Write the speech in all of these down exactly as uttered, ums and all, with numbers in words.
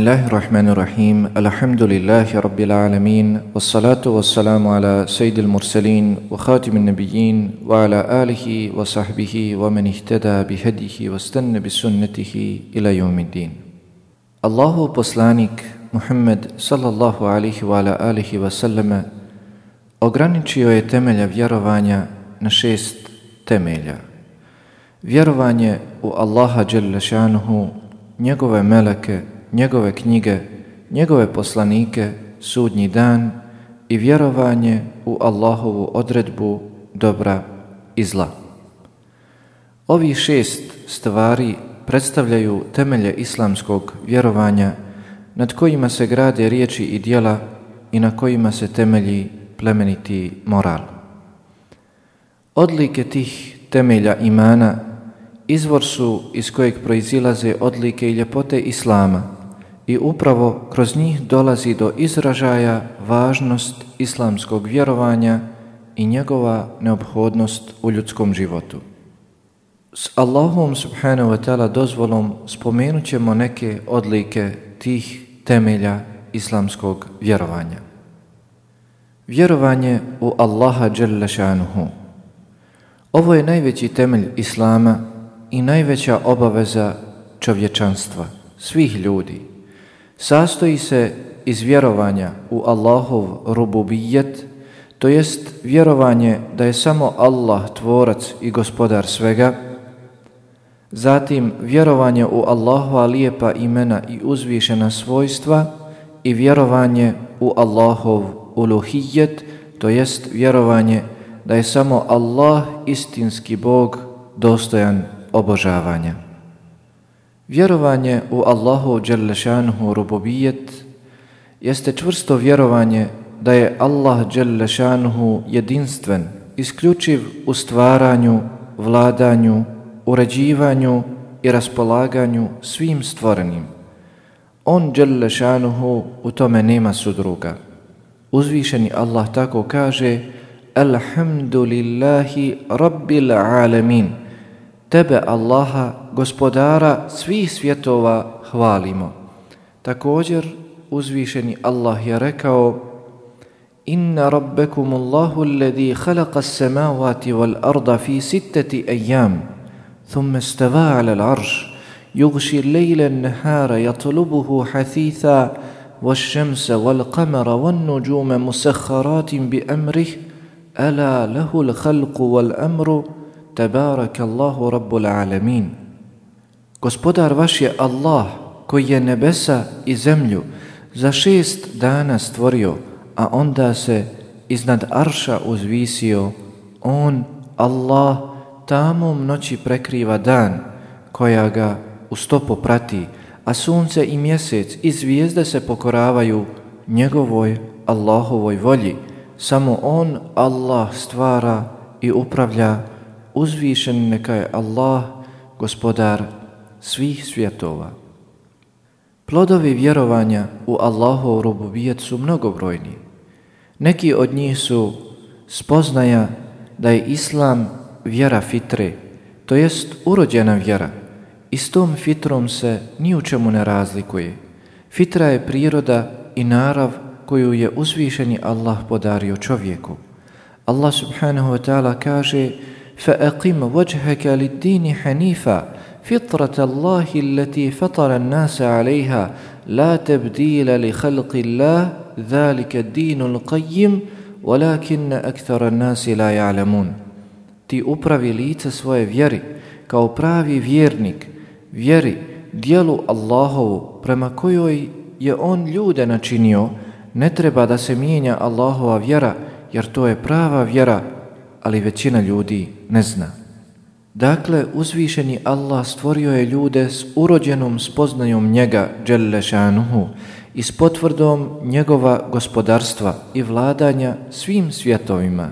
Bismillahirrahmanirrahim. Alhamdulillahi rabbil alamin. Wassalatu wassalamu ala sayyidil mursalin wa khatimin nabiyyin wa ala alihi wa sahbihi wa man ihtada bihadihi wastanna bisunnatihi ila yawmiddin. Allahu poslanik Muhammed sallallahu alaihi wa ala alihi wa sallama ograničio je temelja vjerovanja na šest temelja. Vjerovanje u Allaha dželle šanuhu, njegove meleke, njegove knjige, njegove poslanike, sudnji dan i vjerovanje u Allahovu odredbu dobra i zla. Ovi šest stvari predstavljaju temelje islamskog vjerovanja nad kojima se grade riječi i djela i na kojima se temelji plemeniti moral. Odlike tih temelja imana izvor su iz kojeg proizilaze odlike i ljepote Islama i upravo kroz njih dolazi do izražaja važnost islamskog vjerovanja i njegova neophodnost u ljudskom životu. S Allahom subhanahu wa ta'ala dozvolom spomenut ćemo neke odlike tih temelja islamskog vjerovanja. Vjerovanje u Allaha dželle šanuhu. Ovo je najveći temelj Islama i najveća obaveza čovječanstva, svih ljudi. Sastoji se iz vjerovanja u Allahov rububijet, to jest vjerovanje da je samo Allah tvorac i gospodar svega, zatim vjerovanje u Allahova lijepa imena i uzvišena svojstva i vjerovanje u Allahov uluhijet, to jest vjerovanje da je samo Allah istinski Bog dostojan obožavanja. Vjerovanje u Allahu dželle šanuhu rububijet jeste čvrsto vjerovanje da je Allah dželle šanuhu jedinstven, isključiv u stvaranju, vladanju, uređivanju i raspolaganju svim stvorenim. On dželle šanuhu u tome nema sudruga. Uzvišeni Allah tako kaže: Alhamdulillahi rabbil alamin. Tebe, Allaha, gospodara svih svjetova, hvalimo. Također, uzvišeni Allah je rekao: Inna rabbekum Allahu alladhi khalaqa as-samawati wal arda fi sittati ayyam, thumma istava 'ala al-'arsh, yughshi al-layla an-nahara yatlubuhu hathitha, wash-shamsa wal-qamara wan-nujuma musakhkharatin bi amrihi, ala lahu al-khalqu wal-amru, Tabarakallahu rabbul alamin. Gospodar vaš je Allah koji je nebesa i zemlju za šest dana stvorio, a onda se iznad arša uzvisio. On, Allah, tamom noći prekriva dan, koja ga u stopu prati, a sunce i mjesec i zvijezde se pokoravaju njegovoj Allahovoj volji. Samo on, Allah, stvara i upravlja. Uzvišen neka je Allah, gospodar svih svjetova. Plodovi vjerovanja u Allahov rububijet su mnogobrojni. Neki od njih su spoznaja da je Islam vjera fitre, to jest urođena vjera, i s tom fitrom se ni u čemu ne razlikuje. Fitra je priroda i narav koju je uzvišeni Allah podario čovjeku. Allah subhanahu wa ta'ala kaže: فأقم وجهك للدين حنيفا فطرة الله التي فطر الناس عليها لا تبديل لخلق الله ذلك الدين القيم ولكن أكثر الناس لا يعلمون. Ti upravi lice svoje vjeri kao pravi vjernik, vjeri, dijelu Allahovu prema kojoj je on ljude načinio. Ne treba da se mijenja Allahova vjera, jer to je prava vjera, ali većina ljudi ne zna. Dakle, uzvišeni Allah stvorio je ljude s urođenom spoznajom njega dželle šanuhu i s potvrdom njegova gospodarstva i vladanja svim svjetovima.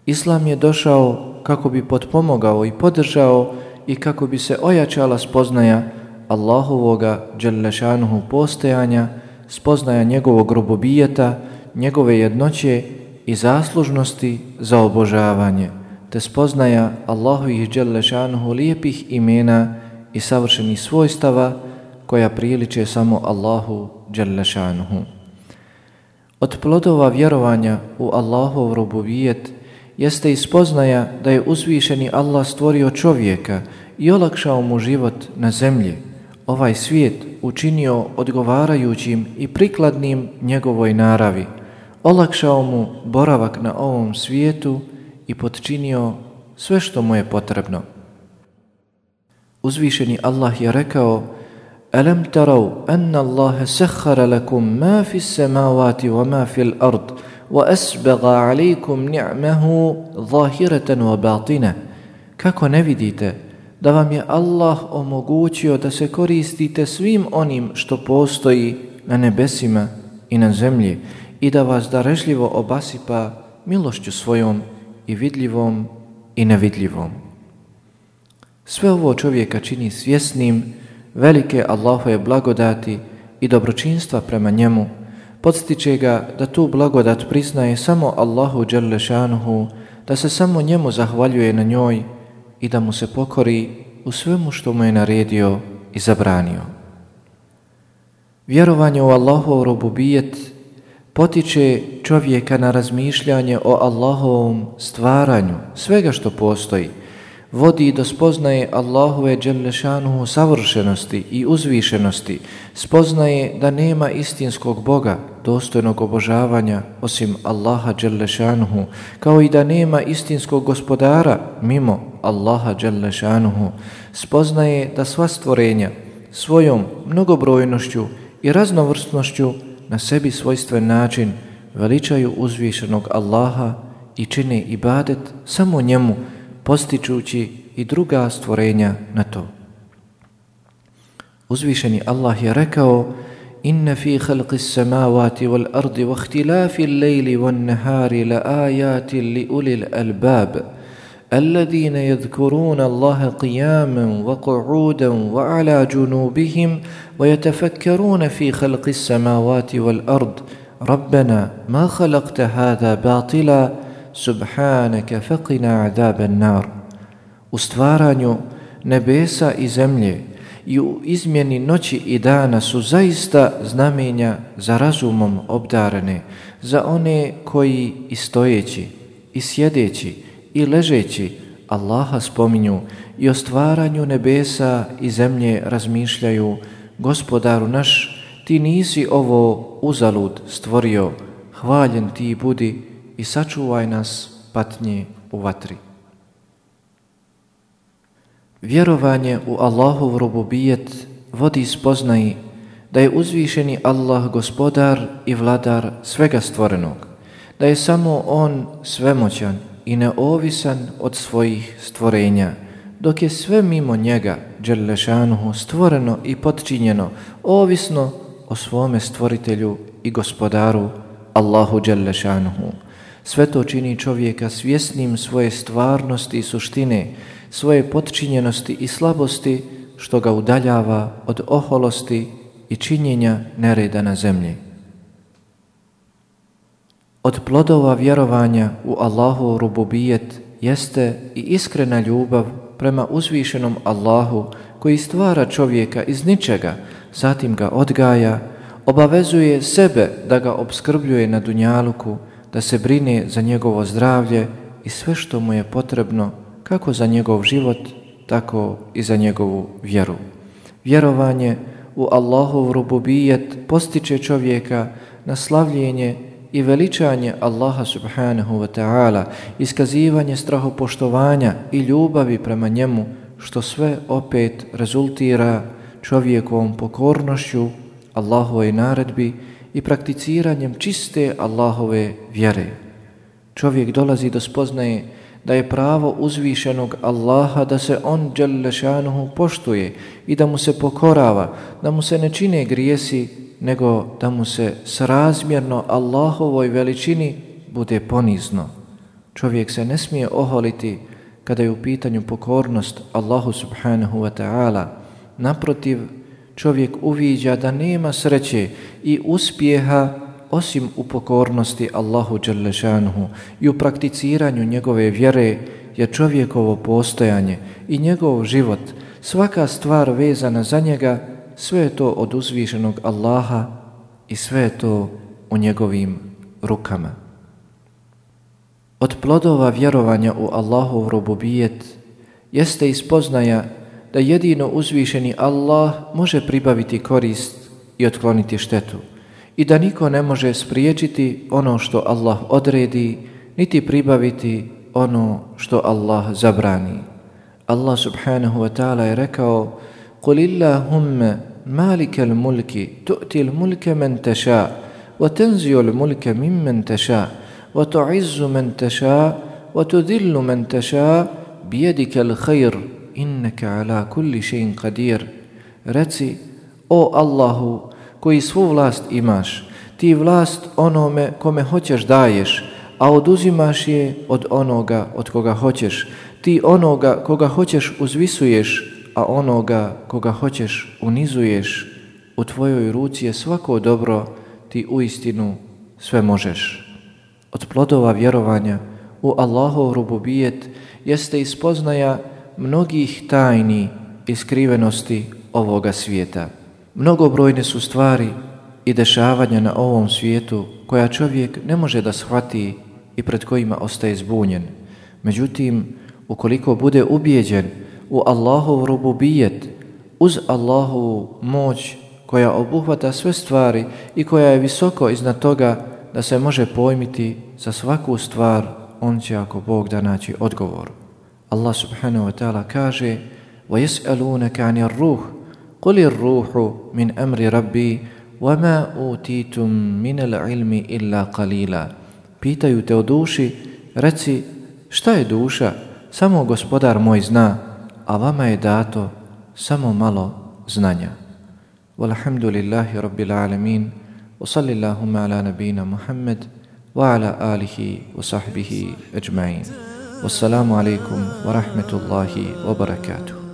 Islam je došao kako bi potpomogao i podržao i kako bi se ojačala spoznaja Allahovoga dželle šanuhu postojanja, spoznaja njegovog rububijeta, njegove jednoće i zaslužnosti za obožavanje, te spoznaja Allahovih dželle šanuhu lijepih imena i savršenih svojstava, koja priliče samo Allahu dželle šanuhu. Od plodova vjerovanja u Allahov rububijet jeste i spoznaja da je uzvišeni Allah stvorio čovjeka i olakšao mu život na zemlji, ovaj svijet učinio odgovarajućim i prikladnim njegovoj naravi, olakšao mu boravak na ovom svijetu i potčinio sve što mu je potrebno. Uzvišeni Allah je rekao: Alam taraw anna Allaha sakhkhara lakum ma fi s-samawati wa ma fi l-ard wa asbagha alaykum ni'amahu zahiratan wa batina. Kako ne vidite da vam je Allah omogućio da se koristite svim onim što postoji na nebesima i na zemlji i da vas darežljivo obasipa milošću svojom i vidljivom i nevidljivom. Sve ovo čovjeka čini svjesnim velike Allahove blagodati i dobročinstva prema njemu, podstiče ga da tu blagodat priznaje samo Allahu dželle šanuhu, da se samo njemu zahvaljuje na njoj i da mu se pokori u svemu što mu je naredio i zabranio. Vjerovanje u Allahov rububijet potiče čovjeka na razmišljanje o Allahovom stvaranju svega što postoji, vodi do spoznaje Allahove dželle šanuhu savršenosti i uzvišenosti, spoznaje da nema istinskog Boga dostojnog obožavanja osim Allaha dželle šanuhu, kao i da nema istinskog gospodara mimo Allaha dželle šanuhu, spoznaje da sva stvorenja svojom mnogobrojnošću i raznovrsnošću na sebi svojstven način veličaju uzvišenog Allaha i čine ibadet samo njemu, postičući i druga stvorenja na to. Uzvišeni Allah je rekao: Inna fi khalqis samawati wal ardi wa ikhtilafil layli wan nahari la ayatin li ulil albab alladhina yadhkuruna Allaha qiyaman wa qu'udan wa ala junubihim wa yatafakkaruna fi khalqis samawati wal ard rabbana ma khalaqta hadha batila subhanaka faqina adhaban nar. U stvaranju nebesa i zemlje i u izmjeni noći i dana su zaista znamenja za razumom obdarene, za one koji i stojeći, i sjedeći, i ležeći Allaha spominju i o stvaranju nebesa i zemlje razmišljaju: Gospodaru naš, ti nisi ovo uzalud stvorio, hvaljen ti budi i sačuvaj nas patnje u vatri. Vjerovanje u Allahov rububijet vodi spoznaji da je uzvišeni Allah gospodar i vladar svega stvorenog, da je samo On svemoćan i neovisan od svojih stvorenja, dok je sve mimo njega dželle šanuhu stvoreno i potčinjeno ovisno o svome stvoritelju i gospodaru Allahu dželle šanuhu. Sve to čini čovjeka svjesnim svoje stvarnosti i suštine, svoje potčinjenosti i slabosti, što ga udaljava od oholosti i činjenja nereda na zemlji. Od plodova vjerovanja u Allahov rububijet jeste i iskrena ljubav prema uzvišenom Allahu koji stvara čovjeka iz ničega, zatim ga odgaja, obavezuje sebe da ga opskrbljuje na dunjaluku, da se brine za njegovo zdravlje i sve što mu je potrebno, kako za njegov život, tako i za njegovu vjeru. Vjerovanje u Allahov rububijet postiče čovjeka na slavljenje i veličanje Allaha subhanahu wa ta'ala, iskazivanje strahopoštovanja i ljubavi prema njemu, što sve opet rezultira čovjekovom pokornošću Allahovoj naredbi i prakticiranjem čiste Allahove vjere. Čovjek dolazi do spoznaje da je pravo uzvišenog Allaha da se On dželle šanuhu poštuje i da mu se pokorava, da mu se ne čine grijesi, nego da mu se srazmjerno Allahovoj veličini bude ponizno. Čovjek se ne smije oholiti kada je u pitanju pokornost Allahu subhanahu wa ta'ala. Naprotiv, čovjek uviđa da nema sreće i uspjeha osim u pokornosti Allahu dželle šanuhu i u prakticiranju njegove vjere, jer čovjekovo postojanje i njegov život, svaka stvar vezana za njega, sve je to od uzvišenog Allaha i sve je to u njegovim rukama. Od plodova vjerovanja u Allahov rububijet jeste ispoznaja da jedino uzvišeni Allah može pribaviti korist i otkloniti štetu i da niko ne može spriječiti ono što Allah odredi, niti pribaviti ono što Allah zabrani. Allah subhanahu wa ta'ala je rekao: قُلِ اللَّهُمَّ مَالِكَ الْمُلْكِ تُؤْتِي الْمُلْكَ مَنْ تَشَاءُ وَتَنْزِعُ الْمُلْكَ مِمَّنْ تَشَاءُ وَتُعِزُّ مَنْ تَشَاءُ وَتُذِلُّ مَنْ تَشَاءُ بِيَدِكَ الْخَيْرُ إِنَّكَ عَلَى كُلِّ شَيْءٍ قَدِيرٌ. Reci: o Allahu, koji svu vlast imaš, ti vlast onome kome hoćeš daješ, a oduzimaš je od onoga od koga hoćeš. Ti onoga koga hoćeš uzvisuješ, a onoga koga hoćeš unizuješ. U tvojoj ruci je svako dobro, ti uistinu sve možeš. Od plodova vjerovanja u Allahov rububijet jeste ispoznaja mnogih tajni i skrivenosti ovoga svijeta. Mnogobrojne su stvari i dešavanja na ovom svijetu koja čovjek ne može da shvati i pred kojima ostaje zbunjen. Međutim, ukoliko bude ubijeđen u Allahov rububijet, uz Allahovu moć koja obuhvata sve stvari i koja je visoko iznad toga da se može pojmiti za svaku stvar, on će, ako Bog da, naći odgovor. Allah subhanahu wa ta'ala kaže: وَيَسْأَلُونَكَ عَنِ الرُّوحِ قُلِ الرُّوحُ مِنْ أَمْرِ رَبِّي وَمَا أُوتِيتُم مِنَ الْعِلْمِ إِلَّا قَلِيلًا. Pitaju te o duši, reci: šta je duša? Samo Gospodar moj zna, a vama je dato samo malo znanja. Walhamdulillahi rabbil alamin, wa sallallahu ala nabina Muhammad wa ala alihi wa sahbihi ajma'in. Wassalamu alaikum wa rahmatullahi wa barakatuh.